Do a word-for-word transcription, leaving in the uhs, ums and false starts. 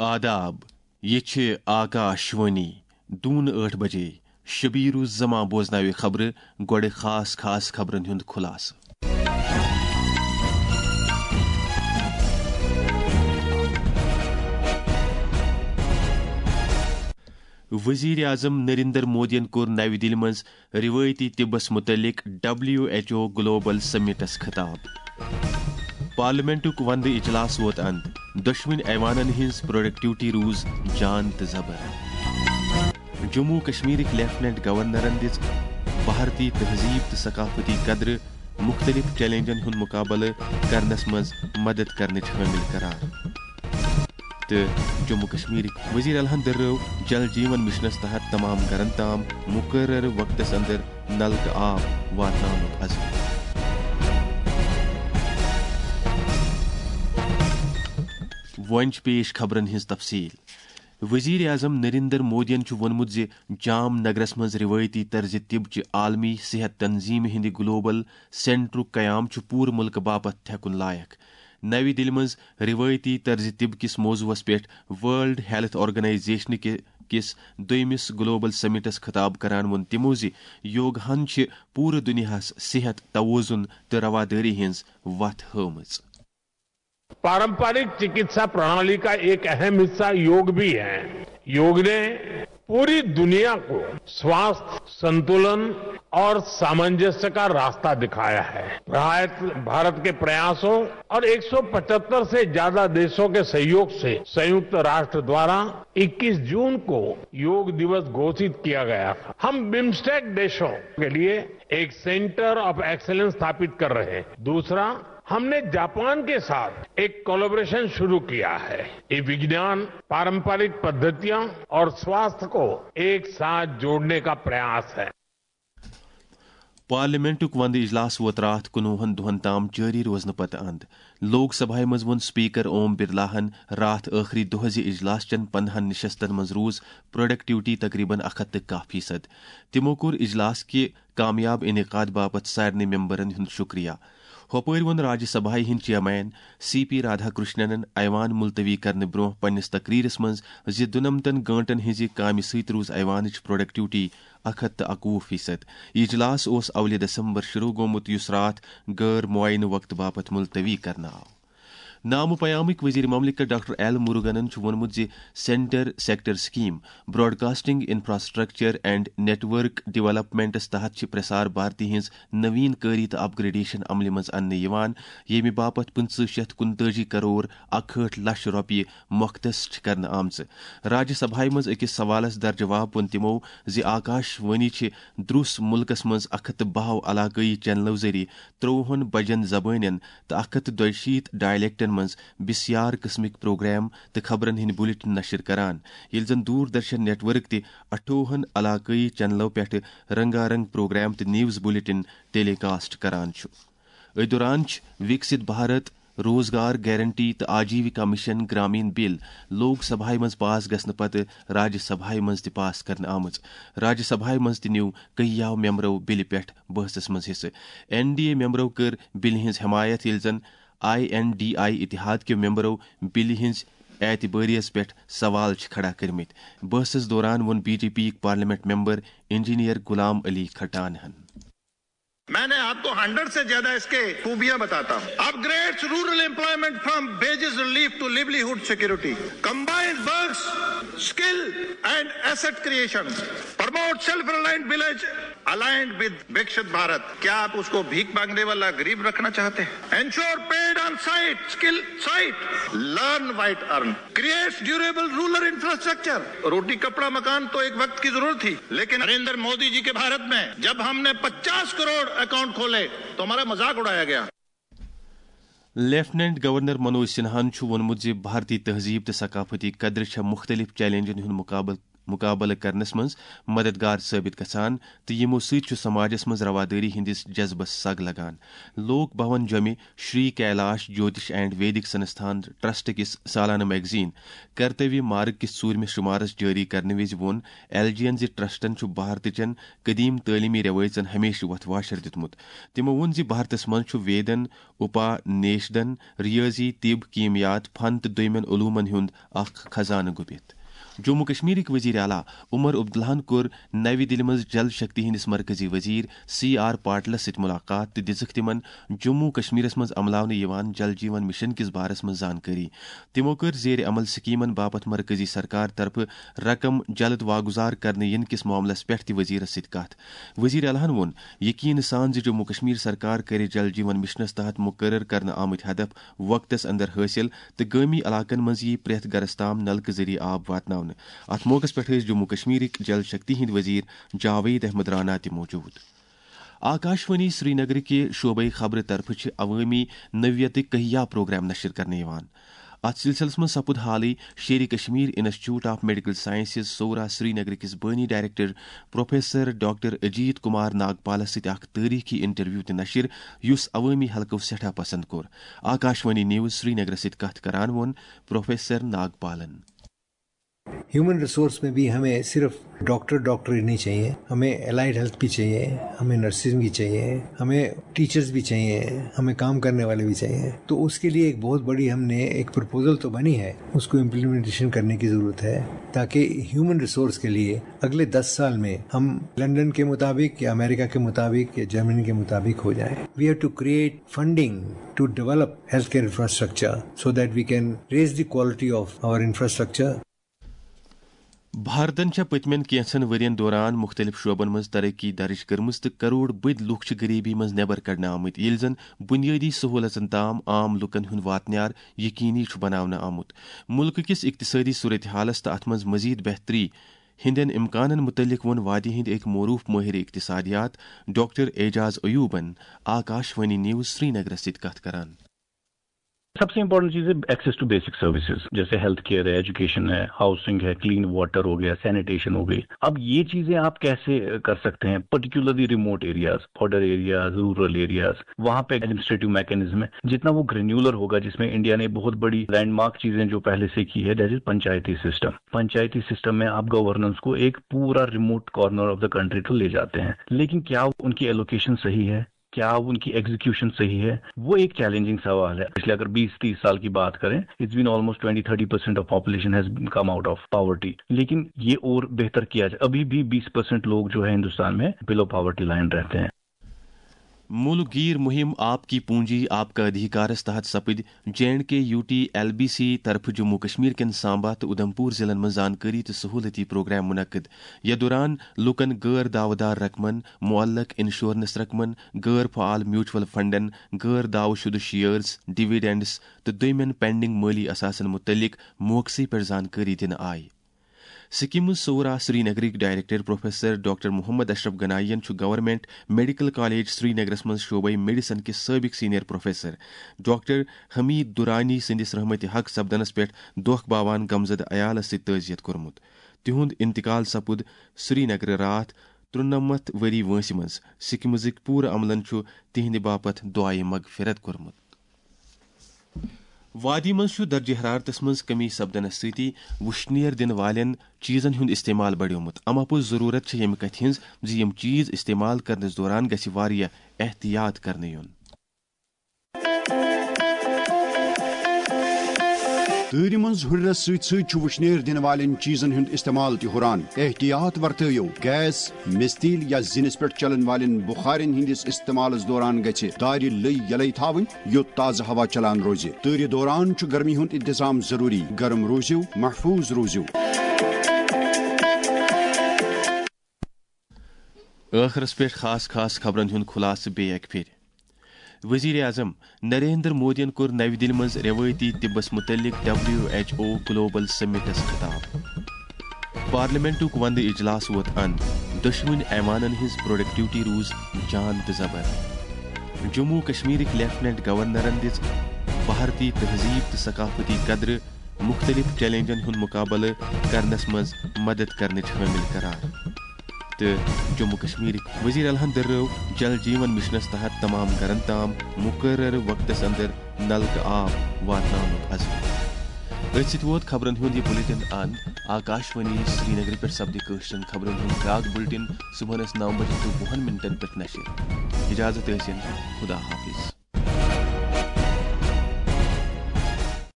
آداب، یہِ چھِ آکاش وانی۔ دوٗنہٕ ٲٹھ بجے۔ شبیٖر الزمان بوزناوِ خبرٕ، گۄڈٕ خاص خاص خبرن ہُنٛد خُلاصہٕ۔ وزیر اعظم نریندر مودیَن کوٚر نَوِ دِلہِ منٛز روایتی طبس متعلق ڈبلیو ایچ او گلوبل سمٹس خطاب۔ پارلیمنٹُک وندٕ اجلاس ووت اند، دۄشوٕنۍ ایوانن ہٕنٛز پروڈکٹیوٹی روٗز جان تہٕ زبر۔ جموں کشمیرٕکۍ لیفٹیننٹ گورنرن دِژ بھارتی تہذیب تہٕ ثقافتی قدرٕ مختلف چیلنجن ہُنٛد مقابلہٕ کرنس منٛز مدد کرنٕچ حٲمل قرار۔ تہٕ جموں کشمیرٕکۍ وزیر اعلیٰ ہن دٔرٲو جل جیون مشنس تحت تمام گرن تام مقررٕ وقتس اندر نلکہٕ آب واتناونُک عزم۔ وۄنۍ چھِ پیش خبرن ہٕنٛز تفصیل۔ وزیر اعظم نریندر مودیَن چھُ ووٚنمُت زِ جام نگرس منٛز روایتی طرزِ طب چہِ عالمی صحت تنظیمہِ ہٕنٛدِ گلوبل سینٹرُک قیام چھُ پوٗرٕ مُلکہٕ باپتھ تھٮ۪کُن لایق۔ نَوِ دِلہِ منٛز روایتی طرزِ طب کِس موضوعس پٮ۪ٹھ ورلڈ ہیلتھ آرگنائزیشن کہِ کِس دوٚیمِس گلوبل سمٹس خطاب کران ووٚن تِمو زِ یوگاہن چھِ پوٗرٕ دُنیاہس صحت، توازن تہٕ روادٲری ہٕنٛز وتھ ہٲومٕژ۔ पारंपरिक चिकित्सा प्रणाली का एक अहम हिस्सा योग भी है। योग ने पूरी दुनिया को स्वास्थ्य, संतुलन और सामंजस्य का रास्ता दिखाया है। भारत, भारत के प्रयासों और एक सौ पचहत्तर से ज्यादा देशों के सहयोग से संयुक्त राष्ट्र द्वारा इक्कीस जून को योग दिवस घोषित किया गया था। हम बिम्स्टेक देशों के लिए एक सेंटर ऑफ एक्सीलेंस स्थापित कर रहे हैं। दूसरा, हमने जापान के साथ एक कोलैबोरेशन शुरू किया है। ये विज्ञान, पारंपरिक पद्धतियां और स्वास्थ्य को एक साथ जोड़ने का प्रयास है। پارلیمنٹُک وندٕ اجلاس ووت راتھ کُنوُہن دۄہن تام جٲری روزنہٕ پتہٕ اند۔ لوک سبھایہ منٛز ووٚن سپیکر اوم برلاہن راتھ ٲخری دۄہ زِ اجلاس چٮ۪ن پندہن نشستن منٛز روٗز پروڈکٹیوٹی تقریباً اکھ ہتھ تہٕ کاہ فیصد۔ تِمو کوٚر اجلاس کہِ کامیاب انعقاد باپتھ سارنٕے ممبرن ہُنٛد شُکریہ۔ ہۄپٲرۍ ووٚن راجیہ سبھایہ ہٕنٛدۍ چیئرمین سی پی رادھا کرشننن ایوان ملتوی کرنہٕ برٛونٛہہ پننِس تقریرس منٛز زِ دُنمتن گٲنٛٹن ہٕنٛزِ کامہِ سۭتۍ روٗز ایوانٕچ پروڈکٹیوٹی اکھ ہتھ تہٕ اکوُہ فیصد۔ یہِ اجلاس اوس اولہِ دسمبر شروع گوٚمُت، یُس راتھ غٲر معینہٕ وقتہٕ باپتھ ملتوی کرنہٕ آو۔ نامہٕ پیامٕکۍ وزیر مملکت ڈاکٹر ایل مروگنن چھُ ووٚنمُت زِ centre sector scheme, broadcasting infrastructure and network ڈیولپمنٹس تحت چھِ پرسار بھارتی ہٕنٛز نوین کٲری تہٕ اپ گریڈیشن عملہِ منٛز اننہٕ یِوان، ییٚمہِ باپتھ پٕنٛژٕہ شیٚتھ کُنتٲجی کرور اکہٲٹھ لچھ رۄپیہِ مختص چھِ کرنہٕ آمژٕ۔ راجیہ سبھایہ منٛز أکِس سوالس درجواب ووٚن تِمو زِ آکاش وانی چھِ دروس مُلکس منٛز اکھ ہتھ تہٕ باہ علاقٲیی چینلو ذٔریعہٕ ترٛۆوُہن بجن زبٲنٮ۪ن تہٕ اکھ ہتھ تہٕ دۄیہِ شیٖتھ ڈائلیکٹن منٛز بسیار قٕسمٕکۍ پروگرام تہٕ خبرن ہٕنٛدۍ بلیٹن نشر کران، ییٚلہِ زن دوردرشن نیٹ ورک تہِ اٹھووُہن علاقٲیی چینلو پٮ۪ٹھٕ رنگا رنگ پروگرام تہٕ نیوز بلیٹن ٹیلی کاسٹ کران چھُ۔ أتھۍ دوران چھِ وِکسِت بھارت، روزگار گارنٹی تہٕ آجیوِکا مِشن گرامین بِل لوک سبھایہ منٛز پاس گژھنہٕ پتہٕ راجیہ سبھایہ منٛز تہِ پاس کرنہٕ آمٕژ۔ راجیہ سبھایہ منٛز تہِ نیوٗ کٔہیاہو ممبرو بِلہِ پٮ۪ٹھ بحثس منٛز حصہٕ۔ این ڈی اے ممبرو کٔر بِلہِ ہٕنٛز حمایت، ییٚلہِ زن آئی این ڈی آئی اتحاد کیو ممبرو بِلہِ ہٕنٛز اعتبٲریس پٮ۪ٹھ سوال چھِ کھڑا کٔرمٕتۍ۔ بحثس دوران ووٚن بی جے پی یِکۍ parliament member engineer Ghulam Ali کھٹانہن۔ میں نے آپ کو ہنڈریڈ سے زیادہ اس کے خوبیاں بتاتا ہوں۔ Upgrades rural employment from wages relief to livelihood security, combines works, skill and asset creation, promote self reliant village aligned with Viksit Bharat. کیا آپ اس کو بھیک مانگنے والا غریب رکھنا چاہتے ہیں؟ Ensure paid on site, skill site, learn white earn, creates durable rural infrastructure. روٹی کپڑا مکان تو ایک وقت کی ضرورت تھی، لیکن نریندر مودی جی کے بھارت میں جب ہم نے پچاس کروڑ اکاؤنٹ کھولے تو ہمارا مذاق اڑایا گیا۔ لیفٹیننٹ گورنر منوج سنہاہن چھُ ووٚنمُت زِ بھارتی تہذیب تہٕ ثقافتی قدرٕ چھےٚ مُختٔلِف چیلنجن ہُنٛد مُقابلہٕ مقابلہٕ کرنس منٛز مددگار ثٲبت گژھان تہٕ یِمو سۭتۍ چھُ سماجس منٛز روادٲری ہٕنٛدِس جذبس سگ لگان۔ لوک بھون جوٚمہِ شری کیلاش جوتش اینڈ ویدک سنستھان ٹرسٹ کِس سالانہٕ میگزین کرتویہ مارگ کِس ژوٗرمِس شمارس جٲری کرنہٕ وِزِ ووٚن ایل جی ین زِ ٹرسٹن چھُ بھارتٕچن قدیم تعلیمی رٮ۪وٲیژن ہمیشہٕ وۄتھ واشر دیُتمُت۔ تِمو ووٚن زِ بھارتس منٛز چھُ ویدن، اُپا نیشدن، ریٲضی، طب، کیمیات، فن تہٕ دوٚیمٮ۪ن علومن ہُنٛد اکھ خزانہٕ گُپِتھ۔ جموں کشمیرٕکۍ وزیر اعلیٰ عمر عبداللہن کوٚر نَوِ دِلہِ منٛز جل شکتی ہٕنٛدِس مرکزی وزیر سی آر پاٹلس سۭتۍ ملاقات تہٕ دِژٕکھ تِمن جموں کشمیرس منٛز عملاونہٕ یِوان جل جیون مشن کِس بارس منٛز زانکٲری۔ تِمو کٔر زیر عمل سکیمن باپتھ مرکزی سرکار طرفہٕ رقم جلد واگزار کرنہٕ ینہٕ کِس معاملس پٮ۪ٹھ تہِ وزیرس سۭتۍ کتھ۔ وزیر اعلیٰ ہن ووٚن یقین سان زِ جموں کشمیر سرکار کرِ جل جیون مشنس تحت مقرر کرنہٕ آمٕتۍ ہدف وقتس اندر حٲصِل تہٕ گٲمی علاقن منٛز یِیہِ پرٛٮ۪تھ گرس تام نلکہٕ ذٔریعہٕ آب واتناونہٕ۔ اتھ موقعس پٮ۪ٹھ ٲسۍ جموں کشمیرٕکۍ جل شکتی ہٕنٛدۍ وزیر جاوید احمد رانا تہِ موجود۔ آکاشوانی سرینگرٕکہِ شعبے خبرٕ طرفہٕ چھِ عوٲمی نوعیتٕکۍ کہیا پروگرام نشر کرنہٕ یِوان۔ اتھ سلسلس منٛز سپُد حالٕے Sher Kashmir institute of medical sciences Soura Srinagar کِس بٲنی director professor doctor Ajit Kumar ناگپالس سۭتۍ اکھ تٲریخی انٹرویو تہِ نشر، یُس عوٲمی حلقو سٮ۪ٹھاہ پسند کوٚر۔ آکاشوانی نیوز سرینگرس سۭتۍ کتھ کران ووٚن پروفیسر ناگپالن۔ ہیومن ریسورس میں بھی ہمیں صرف ڈاکٹر ڈاکٹر ہی نہیں چاہیے، ہمیں الائیڈ ہیلتھ بھی چاہیے، ہمیں نرسز بھی چاہیے، ہمیں ٹیچرز بھی چاہیے، ہمیں کام کرنے والے بھی چاہیے۔ تو اس کے لیے ایک بہت بڑی ہم نے ایک پرپوزل تو بنی ہے، اس کو امپلیمنٹیشن کرنے کی ضرورت ہے، تاکہ ہیومن ریسورس کے لیے اگلے دس سال میں ہم لندن کے مطابق یا امریکہ کے مطابق یا جرمنی کے مطابق ہو جائیں۔ We have to create funding to develop healthcare infrastructure so that we can raise the quality of our infrastructure. بھارتن چھےٚ پٔتمٮ۪ن کینٛژن ؤرین دوران مُختٔلِف شعبن منٛز ترقی درٕج کٔرمٕژ تہٕ کرور بٔدۍ لُکھ چھِ غریبی منٛز نٮ۪بر کڑنہٕ آمٕتۍ، ییٚلہِ زن بُنیٲدی سہوٗلژن تام عام لوٗکن ہُنٛد واتنیار یقینی چھُ بناونہٕ آمُت۔ مُلکہٕ کِس اقتصٲدی صورتحالس تہٕ اتھ منٛز مزید بہتری ہٕنٛدٮ۪ن امکانن مُتعلق ووٚن وادی ہٕنٛدۍ أکۍ معروٗف مٲہِر اقتصادیات ڈاکٹر اعجاز ایوبن آکاش وانی نیوز سرینگرس سۭتۍ کتھ کران۔ सबसे इंपॉर्टेंट चीज है एक्सेस टू बेसिक सर्विसेज, जैसे हेल्थ केयर है, एजुकेशन है, हाउसिंग है, क्लीन वाटर हो गया, सैनिटेशन हो गई. अब ये चीजें आप कैसे कर सकते हैं, particularly remote areas, border areas, rural areas, वहां पे एडमिनिस्ट्रेटिव मैकेनिज्म है. जितना वो ग्रेन्यूलर होगा, जिसमें इंडिया ने बहुत बड़ी लैंडमार्क चीजें जो पहले से की है, that is Panchayati system. Panchayati system में आप गवर्नेंस को एक पूरा remote corner of the country तो ले जाते हैं, लेकिन क्या उनकी एलोकेशन सही है, क्या उनकी एग्जीक्यूशन सही है, वो एक चैलेंजिंग सवाल है. पिछले अगर बीस तीस साल की बात करें, it's been almost twenty thirty percent of population has come out of poverty. लेकिन ये और बेहतर किया जाए. अभी भी बीस परसेंट लोग जो है हिंदुस्तान में बिलो पॉवर्टी लाइन रहते हैं. مُلک گیٖر مُہِم آپ کی پونجی آپ کا ادھیکارس تحت سپٕدۍ J and K U T L B C طرفہٕ جموں کشمیر کٮ۪ن سامبا تہٕ اُدھمپور ضلعن منٛز زانکٲری تہٕ سہوٗلتی پروگرام منعقد۔ یتھ دوران لوٗکن غٲر دعوٕ دار رقمن، معلق انشورنس رقمن، غٲر فعال میوچول فنڈن، غٲر دعوٕ شُدٕ شیئرز، ڈویڈنڈز تہٕ دوٚیمٮ۪ن پینڈنگ مٲلی اثاثن مُتعلق موقعسٕے پٮ۪ٹھ زانکٲری دِنہٕ آیہِ۔ سکیمز سورا سرینگرٕکۍ ڈائریکٹر پروفیسر ڈاکٹر محمد اشرف گنائی ین چھُ گورنمنٹ میڈیکل کالج سرینگرس منٛز شعبے میڈیسن کِس سٲبق سینئر پروفیسر ڈاکٹر حمید درانی سٕنٛدِس رحمتِ حق سپدنس پٮ۪ٹھ دۄکھ باوان غمزدٕ عیالس سۭتۍ تعزیت کوٚرمُت۔ تِہُنٛد انتقال سپُد سرینگرٕ راتھ ترُنمتھ ؤری وٲنٛسہِ منٛز۔ سکیمزٕکۍ پوٗرٕ عملن چھُ تِہنٛدِ باپتھ دعایہِ مغفرت کوٚرمُت۔ وادی منٛز چھُ درجہ حرارتس منٛز کمی سپدنس سۭتی وُشنیر دِنہٕ والٮ۪ن چیزن ہُنٛد استعمال بڑیومُت۔ اما پوٚز ضروٗرت چھےٚ ییٚمہِ کتھِ ہٕنٛز زِ یِم چیز استعمال کرنس دوران گژھِ واریاہ احتیاط کرنہٕ یُن۔ تۭرِ منٛز ہُرٮ۪رس سۭتۍ سۭتۍ چھُ وُشنیر دِنہٕ والٮ۪ن چیزن ہُنٛد استعمال تہِ ہُران۔ احتیاط ورتٲیِو۔ گیس، مستیل یا زِنِس پٮ۪ٹھ چلن والٮ۪ن بُخارٮ۪ن ہٕنٛدِس استعمالس دوران گژھِ دارِ لٔۍ یلے تھاوٕنۍ، یوٚت تازٕ ہوا چلان روزِ۔ تۭرِ دوران چھُ گرمی ہُنٛد انتظام ضروٗری۔ گرم روٗزِو، محفوظ روٗزِو۔ ٲخرس پٮ۪ٹھ خاص خاص خبرن ہُنٛد خُلاصہٕ بیٚیہِ اکہِ پھِرِ۔ وزیر اعظم نریندر مودیَن کوٚر نَوِ دِلہِ منٛز روایتی طبس متعلق ڈبلیو ایچ او گلوبل سمٹس خطاب۔ پارلیمنٹُک وندٕ اجلاس ووت اند، دۄشوٕنۍ ایوانن ہٕنٛز پروڈکٹیوٹی روٗز جان تہٕ زبر۔ جموں کشمیرٕکۍ لیفٹیننٹ گورنرن دِژ بھارتی تہذیب تہٕ ثقافتی قدرٕ مختلف چیلنجن ہُنٛد مقابلہٕ کرنس منٛز مدد کرنٕچ حٲمل قرار۔ تہٕ جموں کشمیرٕکۍ وزیر اعلیٰ ہن دٔرٲو جل جیون مشنس تحت تمام گرن تام مقررٕ وقتس اندر نلکہٕ آب واتناونُک عزم۔ أتھۍ سۭتۍ ووت خبرن ہُنٛد یہِ بلیٹن اند۔ آکاشوانی سرینگرٕ پٮ۪ٹھ سپدِ کٲشرٮ۪ن خبرن ہُنٛد بیٛاکھ بلیٹن صبحنس نو بجے تہٕ وُہن منٹن پٮ۪ٹھ نشر۔ اجازت ٲسِن، خدا حافظ۔